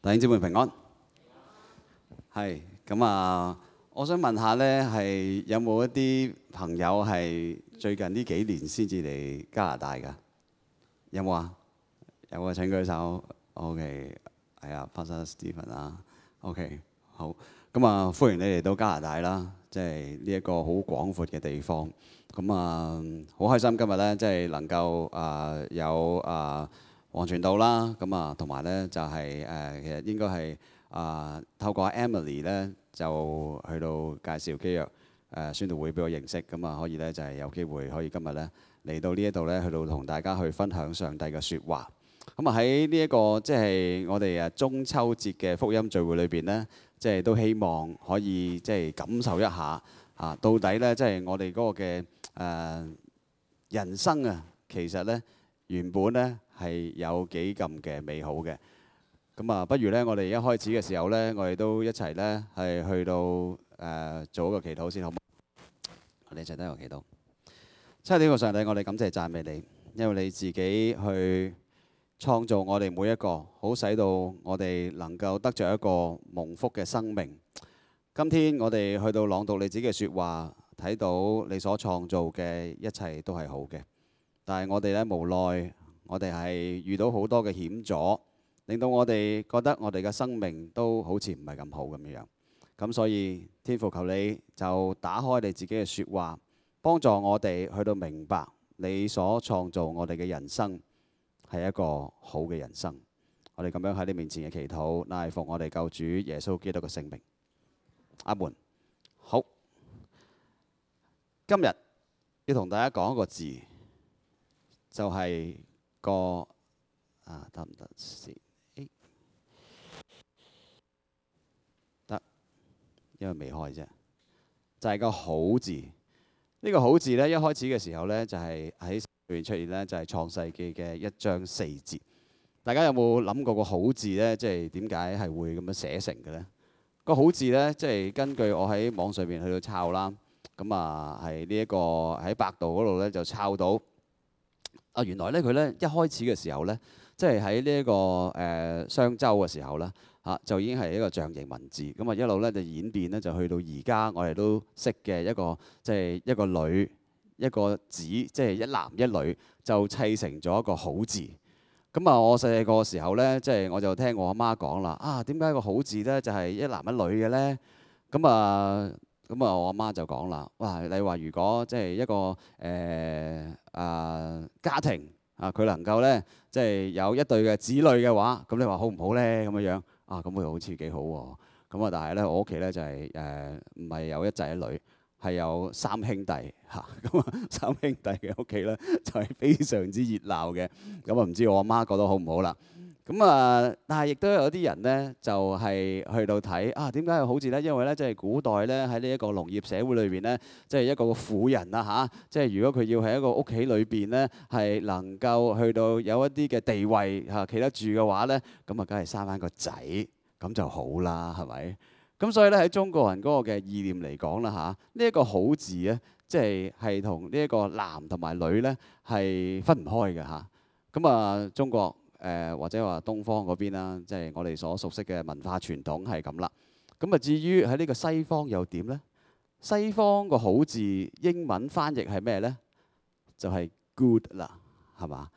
弟兄姊妹平安，係咁啊！我想問下呢，係有冇一啲朋友係最近呢幾年先至嚟加拿大㗎？有冇啊？有啊！請舉手。OK，係啊，Pastor Stephen 啊。OK，好。咁啊，歡迎你嚟到加拿大啦，即係呢一個好廣闊嘅地方。咁啊，好開心今日呢，即係能夠有黃傳道啦，咁啊，同埋咧就係其實應該係透過 Emily 咧就去到介紹基約宣道會俾我認識，咁啊可以咧就係有機會可以今日咧嚟到呢一度咧去到同大家去分享上帝嘅説話。咁啊喺呢一個即係我哋中秋節嘅福音聚會裏邊咧，即係都希望可以即係感受一下到底咧即係我哋嗰個嘅人生啊，其實咧原本咧係有幾咁嘅美好嘅。咁啊，不如咧，我哋一開始嘅時候咧，我哋都一齊咧係去到做一個祈禱先，好唔好？我哋一齊都有祈禱。親愛的上帝，我哋感謝讚美你，因為你自己去創造我哋每一個，好使到我哋能夠得着一個蒙福嘅生命。今天我哋去到朗讀你自己嘅説話，睇到你所創造嘅一切都係好嘅，但係我哋咧無奈，我哋係遇到好多嘅險阻，令到我哋覺得我哋嘅生命都好似唔係咁好咁樣。咁所以天父求你就打開你自己嘅説話，幫助我哋去到明白你所創造我哋嘅人生係一個好嘅人生。我哋咁樣喺你面前嘅祈禱，乃係奉我哋救主耶穌基督嘅聖名。阿門。好，今日要同大家講一個字，就係個得唔得先？得，因為未開啫。就係個好字。呢個好字呢，一開始嘅時候呢，就係喺裏面出現呢，就係創世記嘅1章4節。大家有冇諗過個好字呢？即係點解係會咁樣寫成嘅呢？個好字呢，即係根據我喺網上面去到抄啦。咁啊，係呢一個喺百度嗰度呢，就抄到。原來呢，佢呢一開始嘅時候呢，即係喺呢一個商周嘅時候呢，就已經係一個象形文字。咁啊一路呢就演變呢，就去到而家我哋都識嘅一個即係一個女一個子，即係一男一女就砌成咗一個好字。咁啊，我細個時候呢，即係我就聽我阿媽講啦，點解個好字呢就係一男一女嘅呢？咁啊，我阿媽就講啦，哇！你話如果即係一個家庭佢能夠呢，即係有一對嘅子女嘅話，咁你話好唔好呢？咁樣樣咁佢好似幾好喎。咁但係呢，我屋企呢就係唔係有一仔一女，係有3兄弟嚇。咁3兄弟嘅屋企呢，就係非常之熱鬧嘅。咁唔知我阿媽覺得好唔好啦？咁但係亦都有啲人呢，就係去到睇點解係好字呢？因為呢，即係古代呢，喺呢一個農業社會裏邊呢，即係一個婦人即係如果佢要喺一個屋企裏邊呢，係能夠去到有一啲嘅地位企得住嘅話呢，咁梗係生翻個仔咁就好啦，係咪？咁所以呢，喺中國人嗰個嘅意念嚟講啦呢一個好字呢，即係同呢一個男同埋女呢，係分唔開嘅咁中國或者話東方嗰邊啦，即係我哋所熟悉嘅文化傳統係咁啦。咁至於喺呢個西方又點呢？西方個好字英文翻譯係咩呢？就係 good 啦，係嘛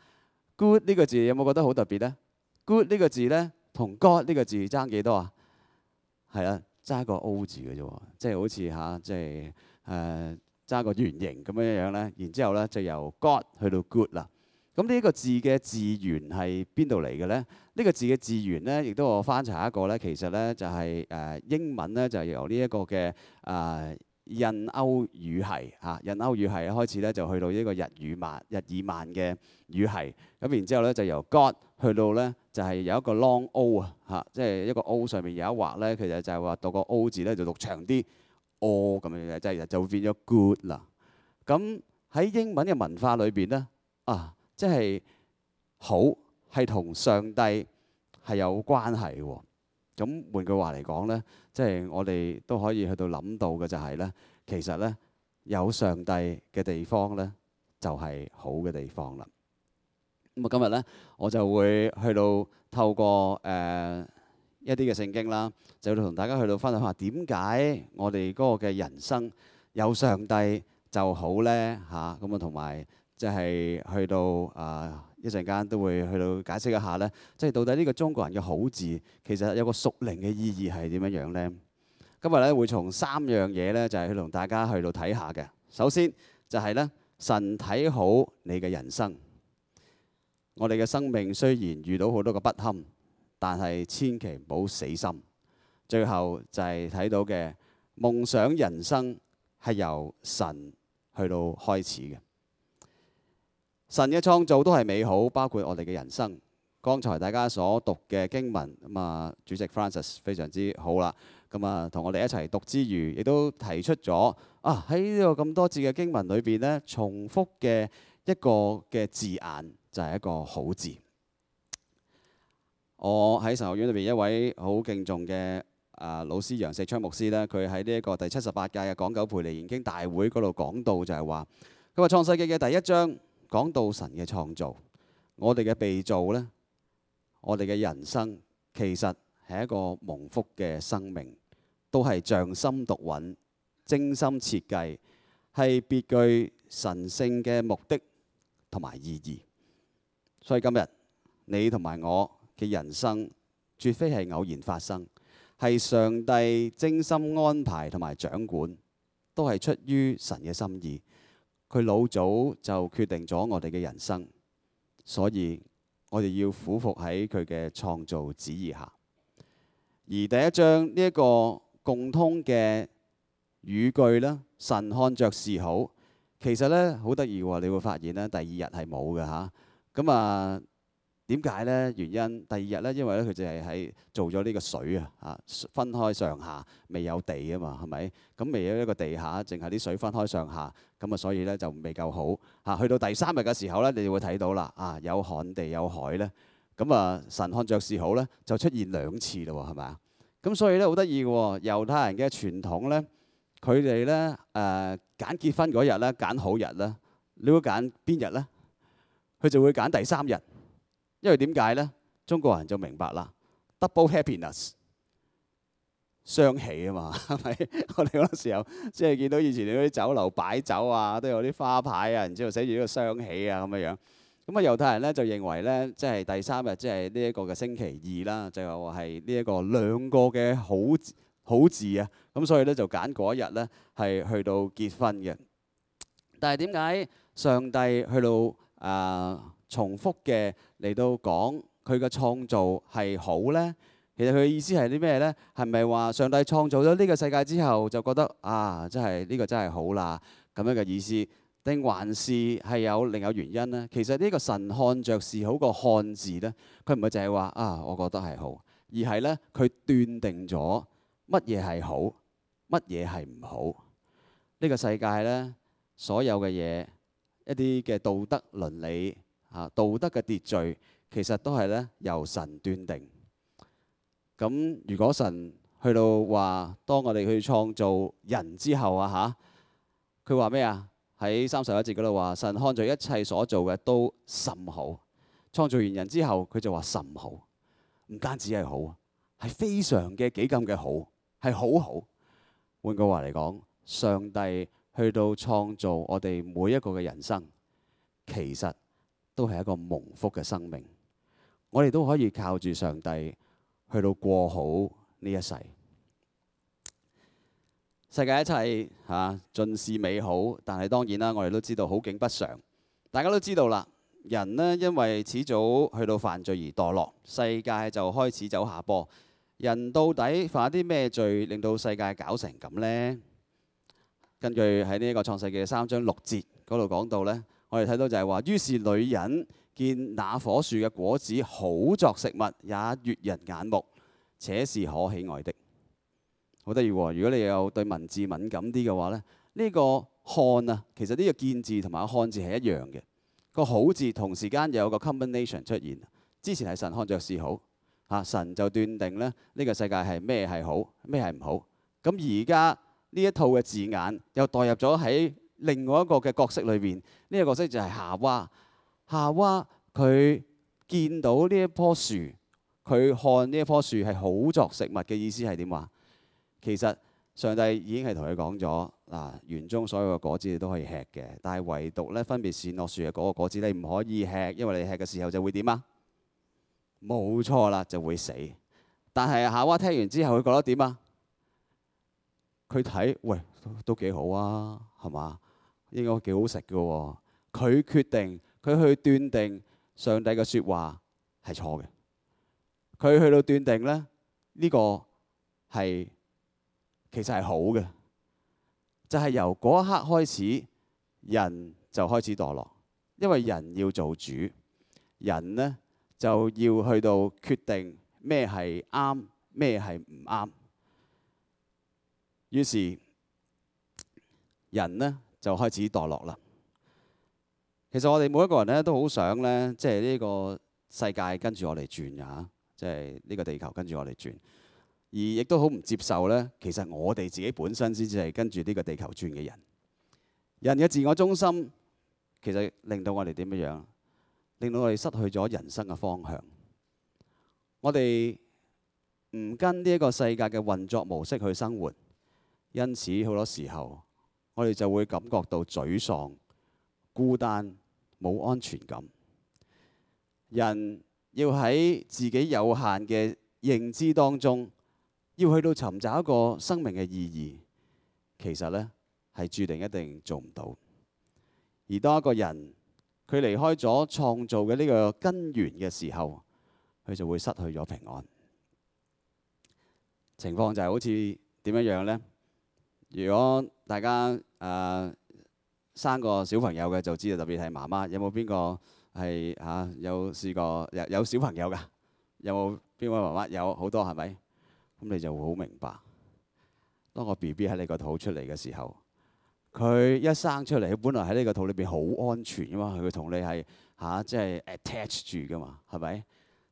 ？good 呢個字有冇覺得好特別呢？good 呢個字呢，同 God 呢個字爭幾多啊？係啊，爭個 O 字嘅啫喎，即係好似即係爭個圓形咁樣樣呢。然之後呢，就由 God 去到 good 啦。咁呢個字嘅字源係邊度嚟嘅呢？呢個字嘅字源呢，亦都我翻查一個呢，其實呢就係英文呢，就係由呢一個嘅印歐語系印歐語系開始呢，就去到呢個日耳曼嘅語系。咁然之後呢，就由 God 去到呢，就係有一個 long O 即係一個 O 上面有一畫呢，其實就係話讀個 O 字呢，就讀長啲 O 咁樣嘅，即係就會變咗 good 啦。咁喺英文嘅文化裏邊呢，即係好係同上帝係有關係喎。咁換句話嚟講呢，即係我哋都可以去到諗到嘅就係呢，其實呢，有上帝嘅地方呢，就係好嘅地方啦。咁今日呢，我就會去到透過一啲嘅聖經啦，就同大家去到分享下點解我哋嗰個嘅人生有上帝就好呢？嚇。咁啊，同埋即係去到一陣間都會去到解釋一下呢，即係到底呢個中國人嘅好字其實有個屬靈嘅意義係點樣樣呢？今日咧會從3樣嘢咧，就係去同大家去到睇下嘅。首先就係咧，神睇好你嘅人生。我哋嘅生命雖然遇到好多個不堪，但係千祈唔好死心。最後就係睇到嘅夢想人生係由神去到開始嘅。神嘅創造都係美好，包括我哋嘅人生。剛才大家所讀嘅經文咁啊，主席 Francis 非常之好啦。咁啊，同我哋一齊讀之餘，亦都提出咗喺呢個咁多節嘅經文裏邊呢，重複嘅一個嘅字眼就係一個好字。我喺神學院裏邊一位好敬重嘅老師楊石昌牧師呢，佢喺呢一個第78屆嘅港九培靈研經大會嗰度講到就係話，佢話創世記嘅第1章講到神嘅創造，我哋嘅被造呢，我哋嘅人生其實係一個蒙福嘅生命。都係匠心獨運、精心設計，係別具神聖嘅目的同埋意義。所以今日你同埋我嘅人生，絕非係偶然發生，係上帝精心安排同埋掌管，都係出於神嘅心意。佢老早就決定咗我哋嘅人生，所以我哋要俯伏喺佢嘅創造旨意下。而第1章呢一個共通嘅語句啦，神看着是好。其實咧好得意喎，你會發現咧第2日係冇嘅嚇。咁啊點解咧？原因第2日咧，因為咧佢就係喺做咗呢個水分開上下，未有地啊嘛，係咪？咁未有一個地下，淨係啲水分開上下，咁啊所以咧就未夠好。去到第3日嘅時候咧，你就會睇到啦，有旱地有海咧。咁啊神看着是好咧，就出現2次咯喎，係咪啊？咁所以咧好得意嘅喎，猶太人嘅傳統咧，佢哋咧揀結婚嗰日咧揀好日咧，你會揀邊日咧？佢就會揀第3日，因為點解咧？中國人就明白啦 ，double happiness， 雙喜啊嘛，係咪？我哋嗰個時候即係見到以前嗰啲酒樓擺酒啊，都有啲花牌啊，然之後寫住呢個雙喜啊咁樣樣。咁猶太人咧就認為咧，即係第3日，即係呢一個嘅星期2啦，就係呢一個2個嘅好字啊。咁所以咧就揀嗰一日咧係去到結婚嘅。但係點解上帝去到重複嘅嚟到講佢嘅創造係好咧？其實佢嘅意思係啲咩咧？係咪話上帝創造咗呢個世界之後就覺得真係呢個真係好啦咁樣嘅意思？定還是係有另有原因呢？其實呢個神看着是好個看字呢，佢唔係淨係話我覺得係好，而係呢，佢斷定咗乜嘢係好，乜嘢係唔好。呢個世界呢，所有嘅嘢，一啲嘅道德倫理道德嘅秩序，其實都係呢由神斷定。咁如果神去到話，當我哋去創造人之後佢話咩啊？喺31節嗰度話，神看著一切所做嘅都甚好。創造完人之後，佢就話甚好，唔單止係好，係非常嘅幾咁嘅好，係好好。換句話嚟講，上帝去到創造我哋每一個嘅人生，其實都係一個蒙福嘅生命。我哋都可以靠住上帝去到過好呢一世。世界一切盡是美好，但係當然啦，我哋都知道好景不常。大家都知道啦，人呢因為始早去到犯罪而墮落，世界就開始走下坡。人到底犯咗啲咩罪，令到世界搞成咁呢？根據喺呢一個創世記3章6節嗰度講到呢，我哋睇到就係話，於是女人見那棵樹嘅果子好作食物，也悅人眼目，且是可喜愛的。好得意喎！如果你有對文字敏感啲嘅話咧，呢個看其實呢個見字同埋看字係一樣嘅。個好字同時間有個 combination 出現。之前係神看着是好，神就斷定咧呢個世界係咩係好，咩係唔好。咁而家呢一套嘅字眼又代入咗喺另外一個嘅角色裏邊。呢個角色就係夏娃。夏娃佢見到呢一棵樹，佢看呢一棵樹係好作食物嘅意思係點話？其實上帝已經係同佢講咗嗱，園中所有嘅果子你都可以吃嘅，但係唯獨咧分別善惡樹嘅嗰個果子你唔可以吃，因為你吃嘅時候就會點啊？冇錯啦，就會死。但係夏娃聽完之後，佢覺得點啊？佢睇，喂，都幾好啊，係嘛？應該幾好食嘅喎。佢決定，佢去斷定上帝嘅説話係錯嘅。佢去到斷定咧，呢個係其實係好嘅，就係由嗰一刻開始，人就開始墮落，因為人要做主，人呢就要去到決定咩係啱，咩係唔啱。於是人呢就開始墮落啦。其實我哋每一個人咧都好想咧，即係呢個世界跟住我哋轉呀，即係呢個地球跟住我哋轉，而亦都好唔接受咧。其實我哋自己本身先至係跟住呢個地球轉嘅人。人嘅自我中心其實令到我哋點樣？令到我哋失去咗人生嘅方向。我哋唔跟呢一個世界嘅運作模式去生活，因此好多時候我哋就會感覺到沮喪、孤單、冇安全感。人要喺自己有限嘅認知當中，要去到尋找一個生命嘅意義，其實呢係注定一定做唔到。而當一個人佢離開咗創造嘅呢個根源嘅時候，佢就會失去咗平安。情況就係好似點樣呢？如果大家生個小朋友嘅就知道，特別係媽媽，有冇邊個係有試過有小朋友㗎？有冇邊位媽媽有好多係咪？咁你就會好明白，當個 BB 喺你個肚出嚟嘅時候，佢一生出嚟，佢本來喺呢個肚裏邊好安全㗎嘛，佢同你係即係 attach 住㗎嘛，係咪？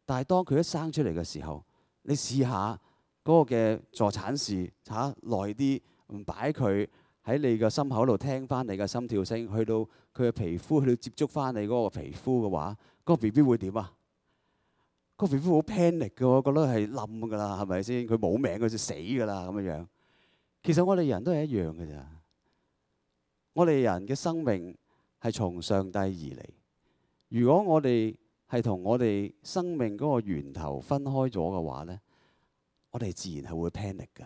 但係當佢一生出嚟嘅時候，你試下嗰個嘅助產士耐啲，唔擺佢喺你嘅心口度聽翻你嘅心跳聲，去到佢嘅皮膚，去到接觸翻你嗰個皮膚嘅話，嗰個 BB 會點啊？個 BB 好 panic 嘅，我覺得係冧㗎啦，係咪先？佢冇命，佢就死㗎啦咁樣。其實我哋人都係一樣嘅咋。我哋人嘅生命係從上帝而嚟。如果我哋係同我哋生命嗰個源頭分開咗嘅話呢，我哋自然係會 panic 㗎。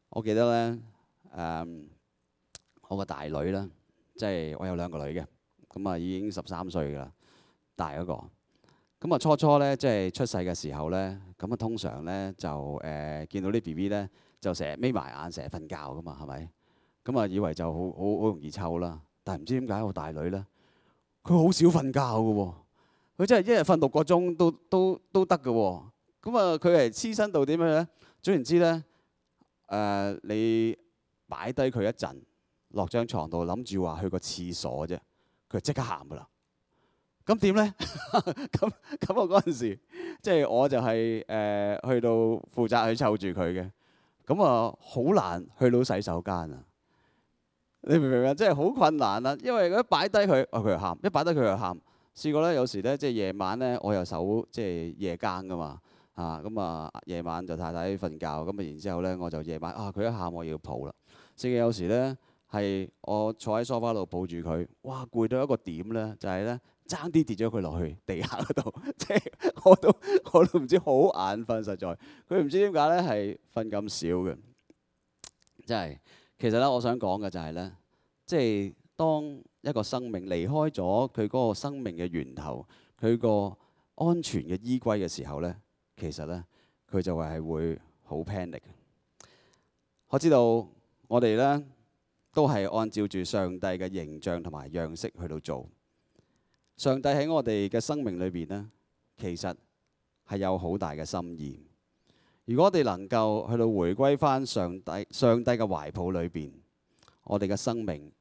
我記得呢，我個大女啦，即係我有兩個女嘅，咁啊已經13歲㗎啦，大嗰個。咁啊初呢，即係出世嘅時候呢，咁啊通常呢就見到啲 BB 呢，就成日眯埋眼，成日瞓覺㗎嘛，係咪？咁啊以為就好容易湊啦。但係唔知點解我大女呢，佢好少瞓覺㗎喎，佢真係一日瞓6個鐘都得㗎喎。咁啊佢係黐身到點樣呢？總言之呢，你擺低佢一陣，落張床度諗住話去個廁所啫，佢即刻喊㗎啦。咁點呢？咁我嗰陣時，即係我就係去到負責去湊住佢嘅。咁啊好難去到洗手間啊！你明唔明啊？真係好困難啊！因為一擺低佢，佢又喊；一擺低佢又喊。試過咧，有時咧即係夜晚咧，我又守即係夜更噶嘛。咁啊夜晚就太太瞓覺，咁啊然之後咧我就夜晚佢一喊我要抱啦。甚至有時咧係我坐喺梳化度抱住佢，哇攰到一個點咧，就係咧爭啲跌咗佢落去地下嗰度，即係我都唔知好眼瞓，實在佢唔知點解咧係瞓咁少嘅，真係。其實咧，我想講嘅就係咧，即係當一個生命離開咗佢嗰個生命嘅源頭，佢個安全嘅依歸嘅時候咧，其實咧佢就係會好 panic。我知道我哋咧都係按照住上帝嘅形象同埋樣式去到做。上帝喺我哋嘅生命裏邊咧，其實係有好大嘅心意。如果我哋能夠去到回歸返上帝嘅懷抱裏邊，我哋嘅生命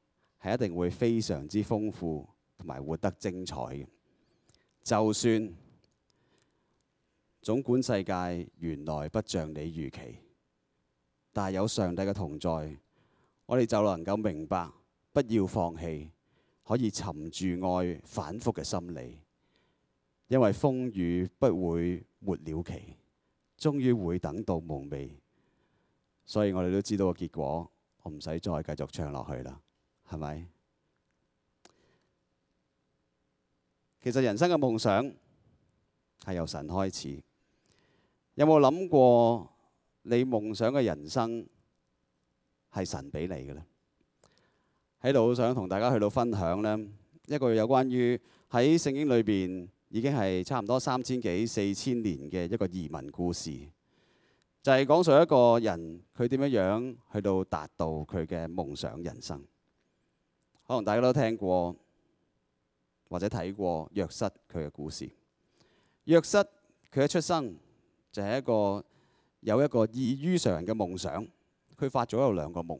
係一定會非常之豐富同埋活得精彩嘅。就算總管世界原來不像你預期，但係有上帝嘅同在，我哋就能夠明白，不要放棄，可以沉住愛反覆嘅心理，因為風雨不會沒了期，終於會等到夢寐。所以我哋都知道個結果，我唔使再繼續唱落去啦，係咪？其實人生嘅夢想係由神開始。有冇諗過你夢想嘅人生係神俾你嘅呢？喺度好想同大家去到分享呢一個有關於喺聖經裏邊已經係差唔多3000幾4000年嘅一個移民故事，就係講述一個人佢點樣去到達到佢嘅夢想人生。可能大家都聽過或者睇過約瑟佢嘅故事。約瑟佢一出生就係有一個異於常人嘅夢想，佢發咗有2個夢。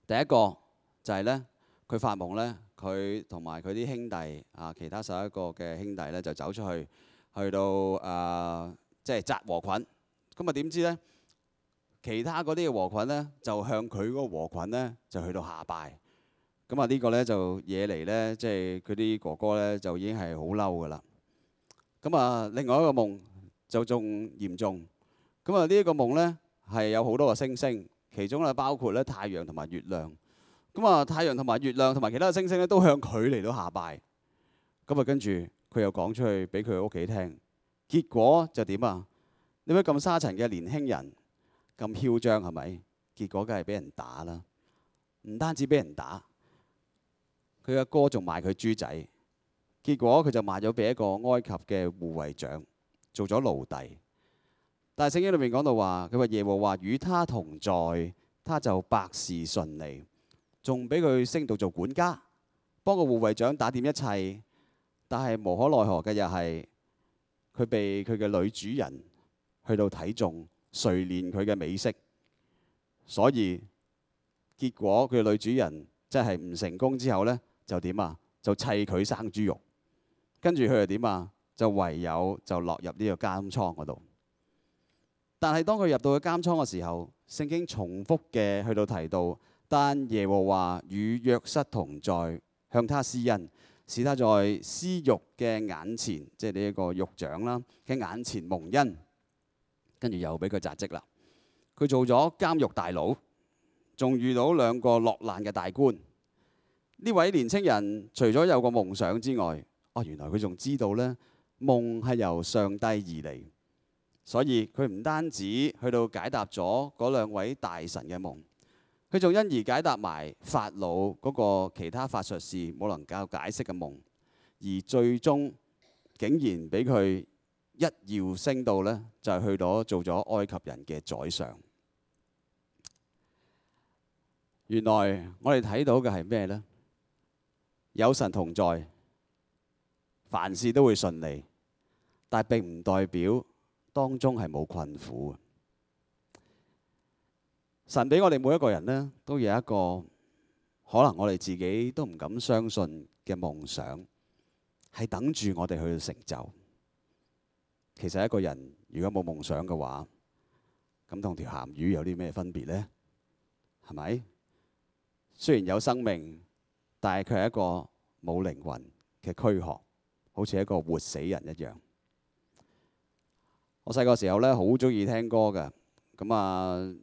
第一個就係呢，佢發夢呢，佢同埋佢啲兄弟其他11個嘅兄弟呢，就走出去，去到即係紮禾捆。咁啊點知呢？其他嗰啲嘅禾捆呢，就向佢嗰個禾捆呢，就去到下拜。咁啊呢個呢，就惹嚟呢，即係佢啲哥哥呢，就已經係好嬲噶啦。咁啊另外一個夢就仲嚴重。咁啊呢一個夢呢，係有好多個星星，其中咧包括咧太陽同埋月亮。咁啊太陽同埋月亮同埋其他嘅星星咧都向佢嚟到下拜。咁啊跟住佢又講出去俾佢屋企聽，結果就點啊？你乜咁沙塵嘅年輕人咁囂張係咪？結果梗係俾人打啦。唔單止俾人打，佢阿哥仲賣佢豬仔。結果佢就賣咗俾一個埃及嘅護衛長，做咗奴隸。但係聖經裏面講到話，佢話耶和華與他同在，他就百事順利，仲俾佢升到做管家，幫個護衛長打掂一切。但係無可奈何嘅又係，佢被佢嘅女主人去到睇中，垂憐佢嘅美色，所以結果佢嘅女主人即係唔成功之後呢，就點啊？就砌佢生豬肉，跟住佢又點啊？就唯有就落入呢個監倉嗰度。但係當佢入到去監倉嘅時候，聖經重複嘅去到提到，但耶和華與約瑟同在，向他施恩，使他在司獄嘅眼前，即係呢一個獄長啦嘅眼前蒙恩。跟住又俾佢扎職啦。佢做咗監獄大佬，仲遇到2個落難嘅大官。呢位年青人除咗有個夢想之外，原來佢仲知道呢夢係由上帝而嚟。所以佢唔單止去到解答咗嗰2位大臣嘅夢，佢仲因而解答埋法老嗰個其他法術士冇能夠解釋嘅夢，而最終竟然俾佢一躍升到呢，就係去到做咗埃及人嘅宰相。原來我哋睇到嘅係咩呢？有神同在，凡事都會順利，但並唔代表當中係冇困苦。神俾我哋每一個人呢，都有一個可能我哋自己都唔敢相信嘅夢想，係等住我哋去成就。其實一個人如果冇夢想嘅話，咁同條鹹魚有啲咩分別呢？係咪？雖然有生命，但係佢係一個冇靈魂嘅軀殼，好似一個活死人一樣。我細個時候咧，好中意聽歌嘅，咁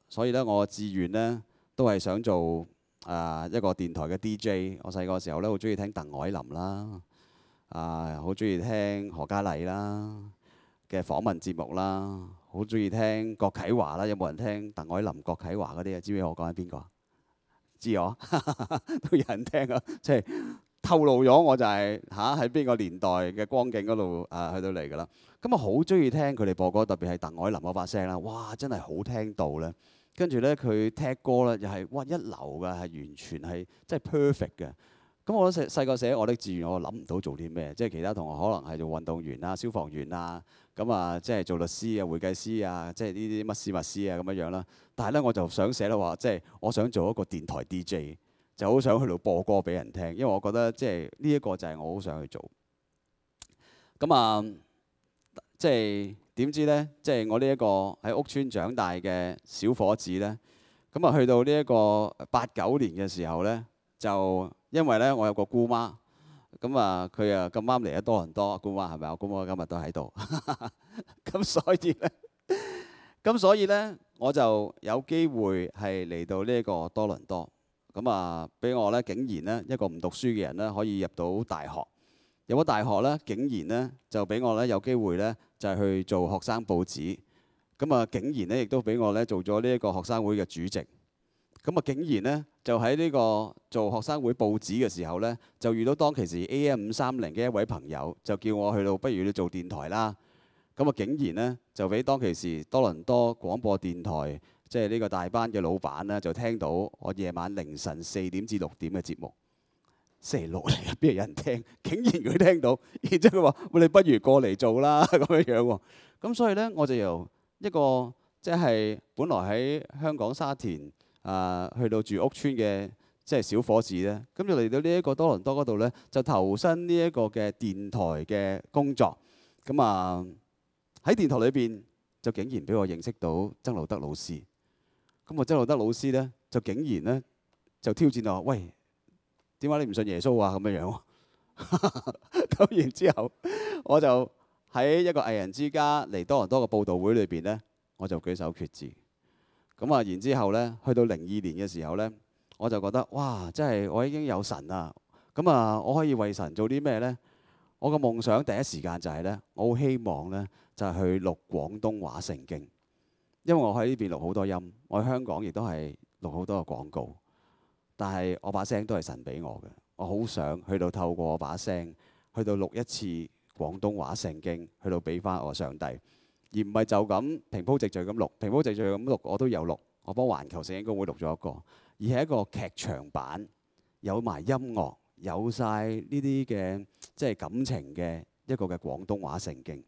所以咧我嘅志願咧都係想做一個電台嘅 DJ。我細個時候咧好中意聽鄧藹霖啦，好中意聽何嘉麗啦嘅訪問節目啦，好中意聽郭啟華啦。有冇人聽鄧藹霖、郭啟華嗰啲啊？知唔知我講緊邊個？知我都有人聽啊，即係透露咗我就係喺邊個年代嘅光景嗰度去到嚟㗎啦。咁啊好中意聽佢哋播歌，特別係鄧藹霖嗰把聲啦，哇真係好聽到咧。跟住咧佢踢歌咧又係哇一流㗎，係完全係即係 perfect 嘅。咁我細個寫我的志願，我諗唔到做啲咩，即係其他同學可能係做運動員啊、消防員啊，咁即係做律師啊、會計師啊，即係呢啲乜師乜師啊咁樣啦。但係咧我就想寫咧話，即係我想做一個電台 DJ， 就好想去到播歌俾人聽，因為我覺得即係呢一個就係我好想去做。咁即係點知咧？即係我呢一個喺屋村長大嘅小伙子咧，咁去到呢一個89年嘅時候咧，就因為咧我有個姑媽，咁啊佢啊咁啱嚟咗多倫多，姑媽係咪啊？姑媽今日都喺度，咁所以咧我就有機會係嚟到呢一個多倫多，咁啊俾我咧竟然咧一個唔讀書嘅人咧可以入到大學，入咗大學咧竟然咧就俾我咧有機會咧就係去做學生報紙，咁啊竟然咧亦都俾我咧做咗呢一個學生會嘅主席。咁啊，竟然咧就喺呢個做學生會報紙嘅時候咧，就遇到當其時 AM530嘅一位朋友，就叫我去到，不如你做電台啦。咁啊，竟然咧就俾當其時多倫多廣播電台即係呢個大班嘅老闆咧，就聽到我夜晚凌晨4點至6點嘅節目。星期六嚟嘅，邊有人聽？竟然佢聽到，然之後佢話：喂，你不如過嚟做啦咁樣樣喎。咁所以咧，我就由一個即係本來喺香港沙田。去到住屋村嘅即係小伙子咧，咁就嚟到呢一個多倫多嗰度咧，就投身呢一個嘅電台嘅工作。咁啊喺電台裏邊就竟然俾我認識到曾路德老師。咁啊曾路德老師咧就竟然咧就挑戰我：喂，點解你唔信耶穌啊？咁樣樣。咁然之後我就喺一個藝人之家嚟多倫多嘅報導會裏邊咧，我就舉手決志。咁啊，然之後咧，去到02年嘅時候咧，我就覺得哇，真係我已經有神啦。咁啊，我可以為神做啲咩咧？我嘅夢想第一時間就係咧，我好希望咧就係去錄廣東話聖經，因為我喺呢邊錄好多音，我喺香港亦都係錄好多嘅廣告，但係我把聲都係神俾我嘅。我好想去到透過我把聲，去到錄一次廣東話聖經，去到俾翻我上帝。而唔係就咁平鋪直敍咁錄，平鋪直敍咁錄我都有錄，我幫環球聖經公會錄咗一個，而係一個劇場版，有埋音樂，有晒呢啲嘅即係感情嘅一個嘅廣東話聖經。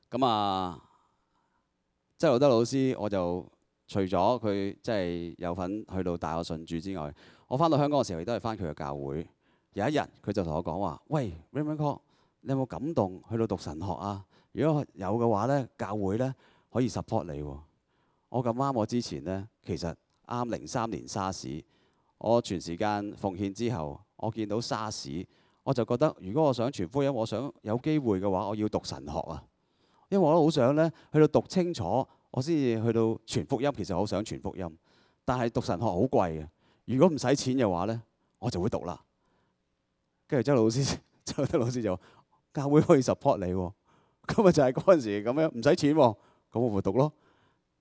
咁啊，曾路德老師，我就除咗佢即係有份去到帶我信主之外，我翻到香港嘅時候亦都係翻佢嘅教會。有一日佢就同我講話：喂 Raymond Kok，你有冇感動去到讀神學啊？如果有嘅話咧，教會咧可以 support 你喎。我咁啱，我之前咧其實啱03年沙士，我全時間奉獻之後，我見到沙士，我就覺得如果我想傳福音，我想有機會嘅話，我要讀神學啊。因為我都好想咧去到讀清楚，我先至去到傳福音。其實我好想傳福音，但係讀神學好貴嘅。如果唔使錢嘅話咧，我就會讀啦。跟住曾老師就話：教會可以 support 你喎。咁咪就係嗰陣時咁樣，唔使錢喎，咁我咪讀咯。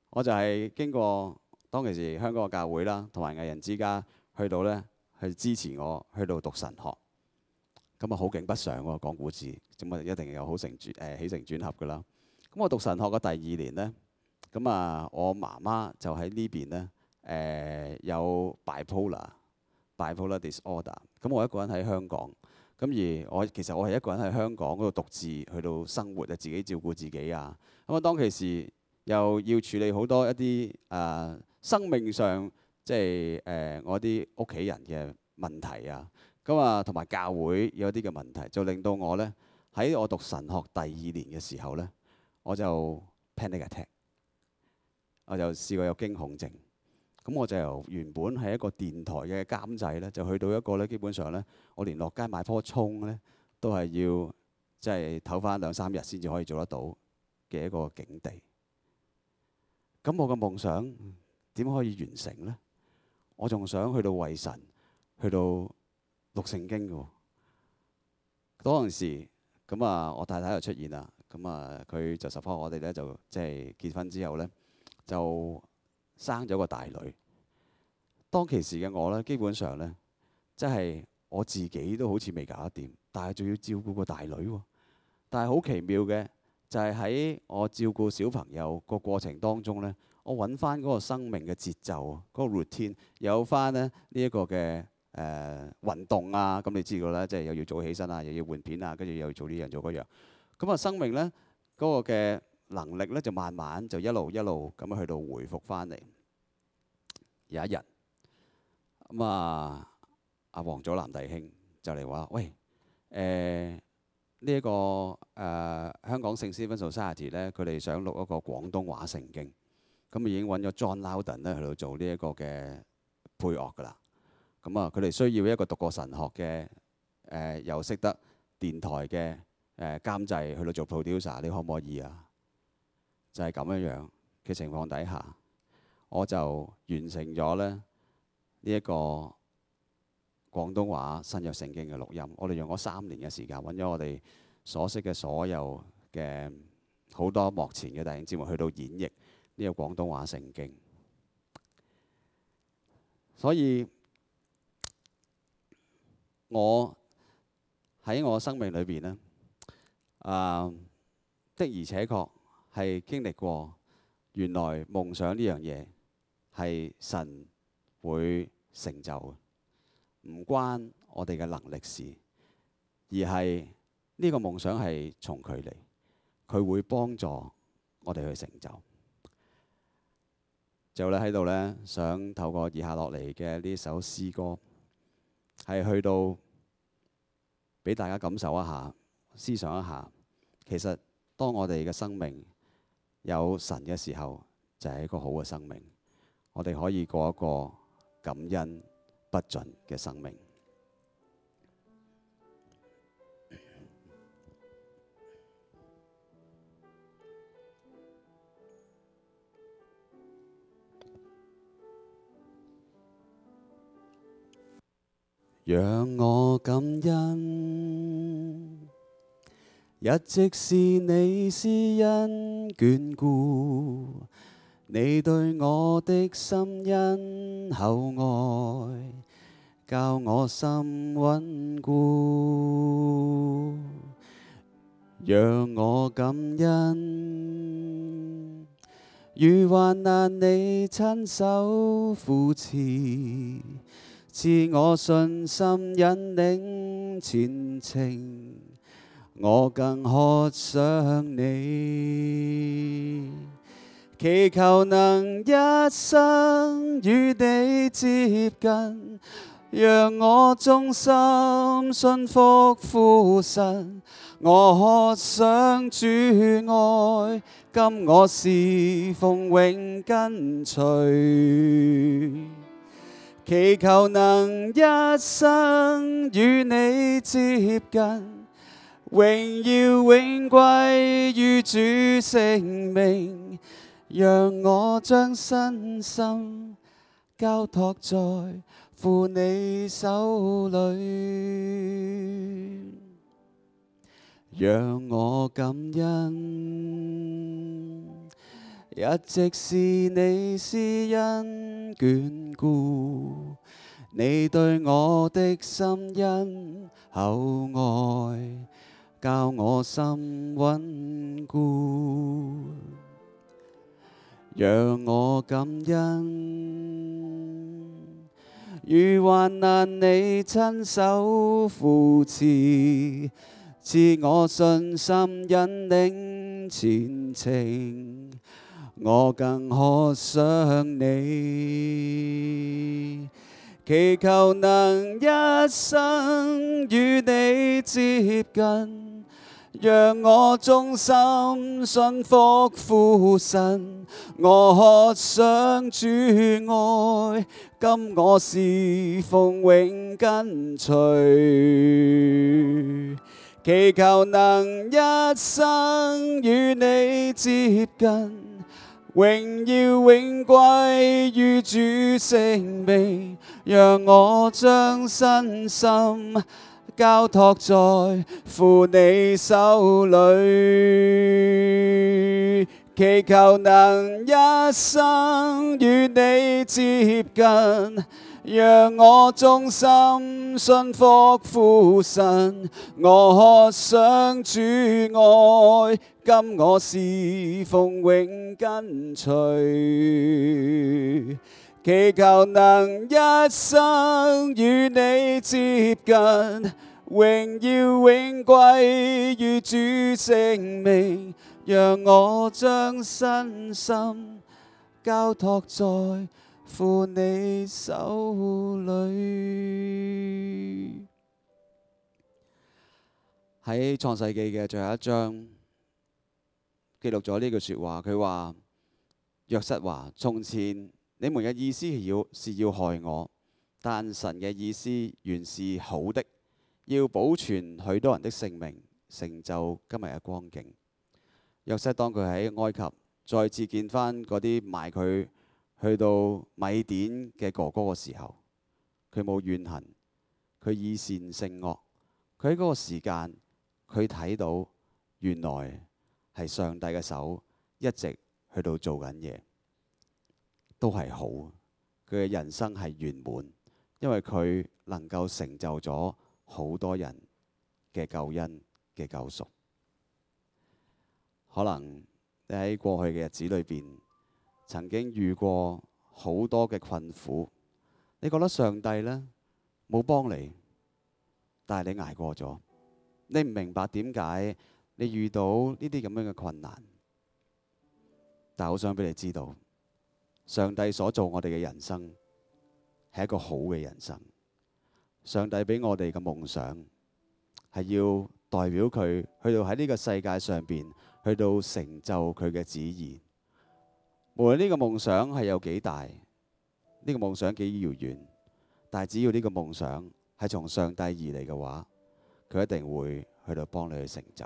我就係經過當其時香港嘅教會啦，同埋藝人之家去到咧，去支持我去到讀神學。咁啊好景不常喎，講故事，咁啊一定有好起承轉合噶啦。咁我讀神學嘅第2年咧，咁啊我媽媽就喺呢邊咧有 bipolar disorder。咁我一個人喺香港。咁而其實我係一個人喺香港嗰度獨自去到生活啊，自己照顧自己啊。咁啊，當其時又要處理好多一啲生命上即係我啲屋企人嘅問題啊。咁啊，同埋教會有啲嘅問題，就令到我咧喺我讀神學第2年嘅時候咧，我就 panic attack，我就試過有驚恐症。咁我就由原本係一個電台嘅監製咧，就去到一個咧，基本上咧，我連落街買棵葱咧，都係要即係唞翻2-3日先至可以做得到嘅一個境地。咁我嘅夢想點可以完成咧？我仲想去到為神，去到讀聖經嘅喎。嗰陣時，咁啊，我太太就出現啦。咁啊，佢就 support我哋咧，就即係結婚之後咧，就生咗個大女。當其時嘅我咧，基本上咧，即係我自己都好似未搞得掂，但係仲要照顧個大女喎。但係好奇妙嘅就係喺我照顧小朋友個過程當中咧，我揾翻嗰個生命嘅節奏，嗰個 routine 有翻咧呢一個嘅運動啊。咁你知道啦，即係又要早起身啊，又要換片啊，跟住又要做呢樣做嗰樣。咁啊，生命咧嗰個嘅能力咧就慢慢就一路一路咁去到回復翻嚟。有一日咁啊，阿黃祖藍弟兄就嚟話：喂，呢一個香港聖 Stephen Society 咧，佢哋想錄一個廣東話聖經，咁已經揾咗 John Loudon 咧去到做呢一個嘅配樂㗎啦。咁啊，佢哋需要一個讀過神學嘅又識得電台嘅監製去到做 producer，你可唔可以啊？就係咁樣樣嘅情況底下，我就完成咗咧呢一個廣東話新約聖經嘅錄音。我哋用咗3年嘅時間，揾咗我哋所識嘅所有嘅好多幕前嘅弟兄姊妹去到演繹呢個廣東話聖經。所以我喺我生命裏邊呢，的而且確係經歷過，原來夢想呢樣嘢係神會成就嘅，唔關我哋嘅能力事，而係呢個夢想係從佢嚟，佢會幫助我哋去成就。就咧喺度呢，想透過以下落嚟嘅呢首詩歌，係去到俾大家感受一下、思想一下，其實當我哋嘅生命有神嘅時候，就係一個好嘅生命。我哋可以過一個感恩不盡嘅生命。讓我感恩，一直是你施恩眷顧，你對我的深恩厚愛，教我心穩固。讓我感恩，遇患難你親手扶持，賜我信心引領前程，我更渴想你，祈求能一生與你接近，讓我忠心信服父神，我渴想主愛，今我侍奉永跟隨。祈求能一生與你接近，榮耀永歸於主聖名，讓我將身心交託在父你手裏，讓我感恩，一直是你施恩眷顧，你對我的深恩厚愛，教我心穩固。讓我感恩，遇患難你親手扶持，賜我信心引領前程，我更渴想你，祈求能一生與你接近，讓我忠心信服父神，我渴想主愛，今我侍奉永跟隨。祈求能一生與你接近，榮耀永歸於主聖名，讓我將身心交託在父你手裏，祈求能一生與你接近，讓我忠心信服父神，我渴想主愛，今我侍奉永跟隨。祈求能一生與你接近，榮耀永歸於主聖名，讓我將身心交託在父你手裏。喺創世記嘅最後一章記錄咗呢句說話，佢話約瑟話：從前你們嘅意思是要害我，但神嘅意思原是好的，要保存許多人的性命，成就今日嘅光景。約瑟當佢喺埃及再次見翻嗰啲賣佢去到米甸嘅哥哥嘅時候，佢冇怨恨，佢以善勝惡。佢喺嗰個時間，佢睇到原來係上帝嘅手一直去到做緊嘢，都係好。佢嘅人生係圓滿，因為佢能夠成就咗好多人嘅救恩嘅救贖。可能你喺過去嘅日子裏邊，曾經遇過好多嘅困苦，你覺得上帝呢冇幫你，但係你捱過咗。你唔明白點解你遇到呢啲咁樣嘅困難，但係好想俾你知道，上帝所做我哋嘅人生係一個好嘅人生。上帝俾我哋嘅夢想係要代表佢去到喺呢個世界上邊去到成就佢嘅旨意。無論呢個夢想係有幾大，呢個夢想幾遙遠，但係只要呢個夢想係從上帝而嚟嘅話，佢一定會去到幫你去成就。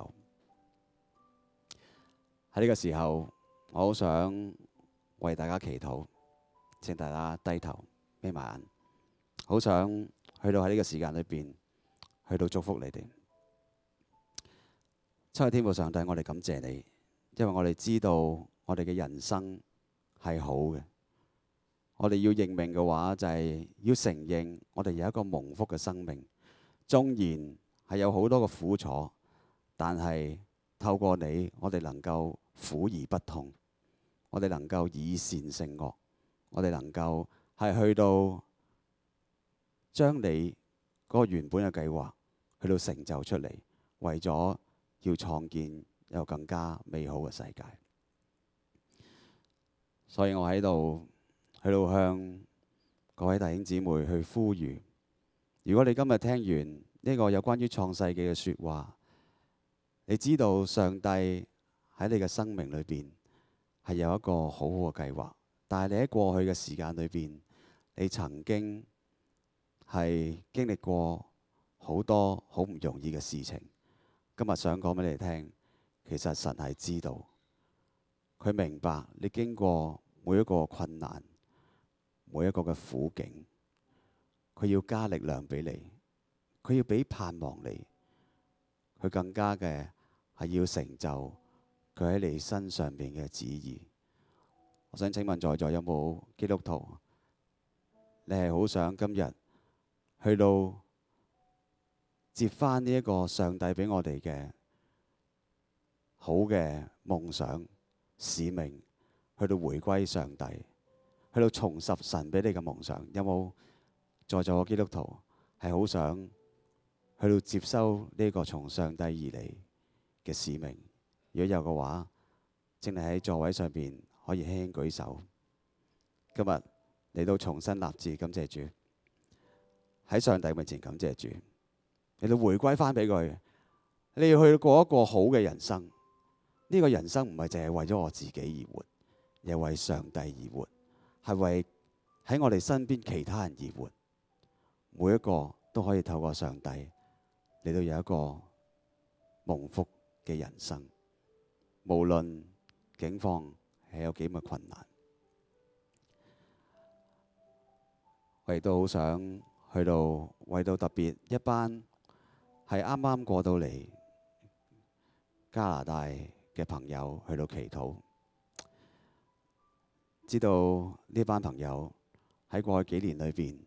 喺呢個時候，我好想為大家祈禱，請大家低頭眯埋眼，好想去到喺呢個時間裏邊去到祝福你哋。親愛天父上帝，我哋感謝你，因為我哋知道我哋嘅人生係好嘅。我哋要認命嘅話，就係要承認我哋有一個蒙福嘅生命。縱然係有好多嘅苦楚，但係透過你，我哋能夠苦而不痛，我哋能夠以善勝惡，我哋能夠係去到將你嗰個原本嘅計劃去到成就出嚟，為咗要創建有更加美好嘅世界。所以我喺度向各位弟兄姊妹去呼籲，如果你今日聽完呢個有關於創世紀嘅説話，你知道上帝喺你嘅生命裏邊係有一個好好嘅計劃，但係你喺過去嘅時間裏邊，你曾經係經歷過好多好唔容易嘅事情。今日想講俾你聽，其實神係知道，佢明白你經過每一個困難，每一個嘅苦境，佢要加力量俾你，佢要俾盼望你，佢更加嘅係要成就佢喺你身上邊嘅旨意。我想請問在座有冇基督徒？你係好想今日去到接返呢一個上帝俾我哋嘅好嘅夢想使命，去到回歸上帝，去到重拾神俾你嘅夢想？有冇在座嘅基督徒係好想去到接收呢個從上帝而嚟嘅使命？如果有嘅話，請你喺座位上邊可以輕輕舉手。今日嚟到重新立志，感謝主，喺上帝面前感謝主，嚟到回歸翻俾佢。你要去過一個好嘅人生，呢個人生唔係淨係為咗我自己而活，而係為上帝而活，係為喺我哋身邊其他人而活。每一個都可以透過上帝嚟到有一個蒙福嘅人生，無論境況係有幾咁困難。我亦都好想去到為到特別一班係啱啱過到嚟加拿大嘅朋友去到祈禱。知道呢班朋友喺過去幾年裏邊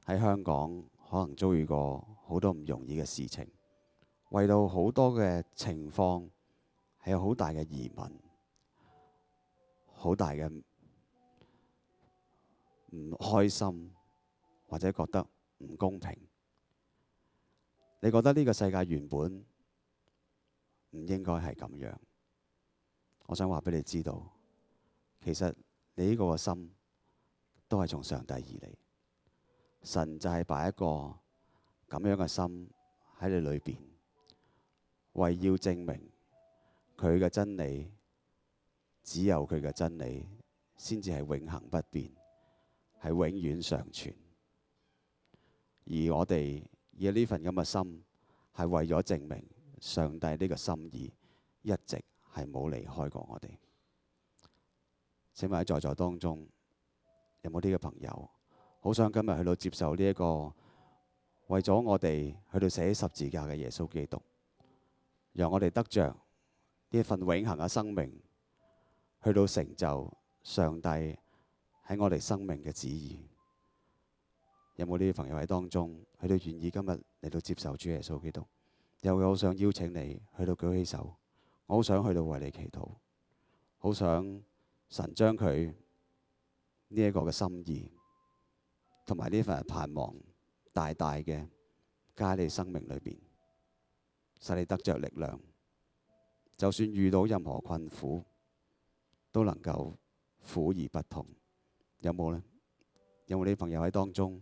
喺香港可能遭遇過好多唔容易嘅事情，為到好多嘅情況係有好大嘅疑問，好大嘅唔開心，或者覺得唔公平。你覺得呢個世界原本唔應該係咁樣？我想話俾你知道，其實你呢個心都係從上帝而嚟。神就係擺一個咁樣嘅心喺你裏邊，為要證明佢嘅真理，只有佢嘅真理先至係永恆不變，係永遠常存。而我哋以呢份咁嘅心，係為咗證明上帝呢個心意一直係冇離開過我哋。請問喺在座當中有冇呢個朋友，好想今日去到接受呢一個為咗我哋去到寫十字架嘅耶穌基督，讓我哋得着呢一份永恆嘅生命，去到成就上帝喺我哋生命嘅旨意。有冇呢啲朋友喺當中，去到願意今日嚟到接受主耶穌基督？又好想邀請你去到舉起手，我好想去到為你祈禱，好想神將佢呢一個嘅心意同埋呢份盼望大大嘅加喺你生命裏邊，使你得着力量，就算遇到任何困苦，都能夠苦而不痛。有冇呢？有冇呢啲朋友喺當中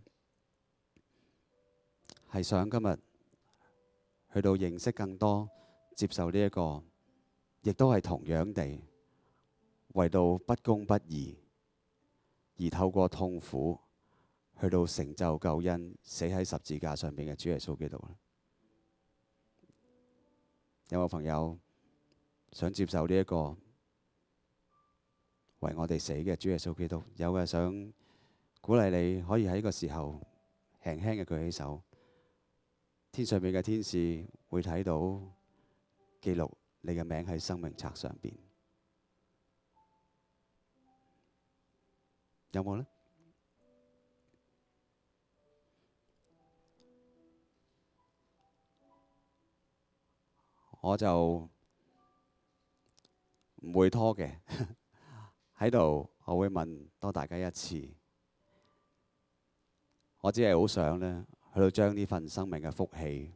係想今日去到認識更多，接受呢一個，亦都係同樣地為到不公不義而透過痛苦去到成就救恩，死喺十字架上面嘅主耶穌基督呢？有冇朋友想接受呢一個為我哋死嘅主耶穌基督？有嘅想鼓勵你可以喺呢個時候輕輕嘅舉起手，天上面嘅天使會睇到記錄你嘅名喺生命冊上邊。有冇呢？我就唔會拖嘅，喺度我會問多大家一次。我只係好想呢，去到將呢份生命嘅福氣，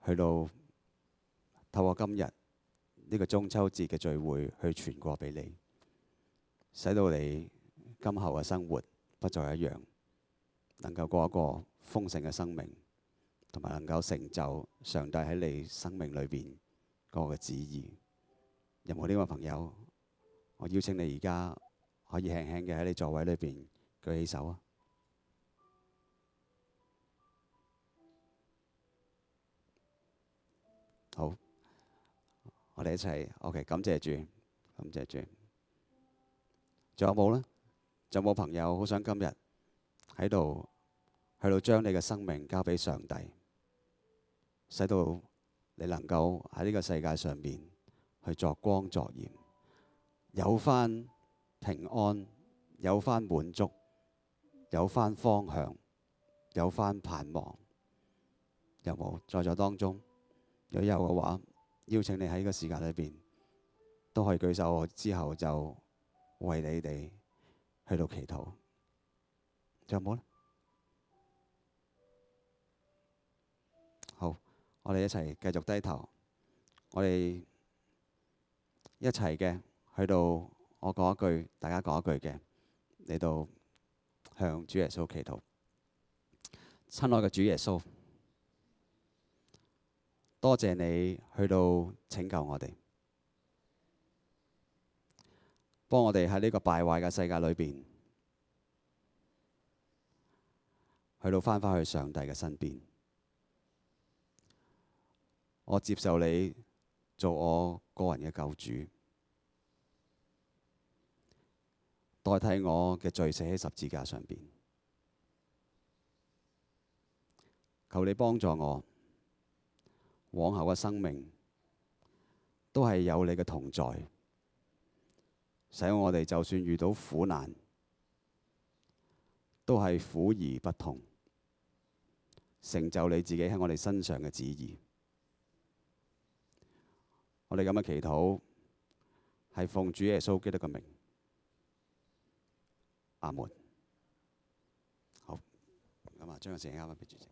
去到透過今日呢個中秋節嘅聚會去傳過俾你，使到你今後嘅生活不再一樣，能夠過一個豐盛嘅生命，同埋能夠成就上帝喺你生命裏邊嗰個旨意。有冇呢個朋友？我邀請你而家可以輕輕嘅喺你座位裏邊舉起手啊！好，我哋一齊 OK， 感謝主，感謝主。仲有冇呢？仲有冇朋友好想今日喺度去到將你嘅生命交俾上帝，使到你能夠喺呢個世界上面去作光作鹽，有返平安，有返滿足，有返方向，有返盼望。有冇在座當中？如果有嘅話，邀請你喺呢個時間裏邊都可以舉手，我之後就為你哋去到祈禱。仲有冇呢？好，我哋一齊繼續低頭，我哋一齊嘅去到我講一句，大家講一句嘅，嚟到向主耶穌祈禱。親愛嘅主耶穌，多謝你去到拯救我哋，幫我哋喺呢個敗壞嘅世界裏邊，去到返返去上帝嘅身邊。我接受你做我個人嘅救主，代替我嘅罪死喺十字架上邊。求你幫助我，往後嘅生命都係有你嘅同在，使我哋就算遇到苦難，都係苦而不痛，成就你自己喺我哋身上嘅旨意。我哋咁嘅祈禱係奉主耶穌基督嘅名，阿門。好，咁啊，將個時間交翻俾主席。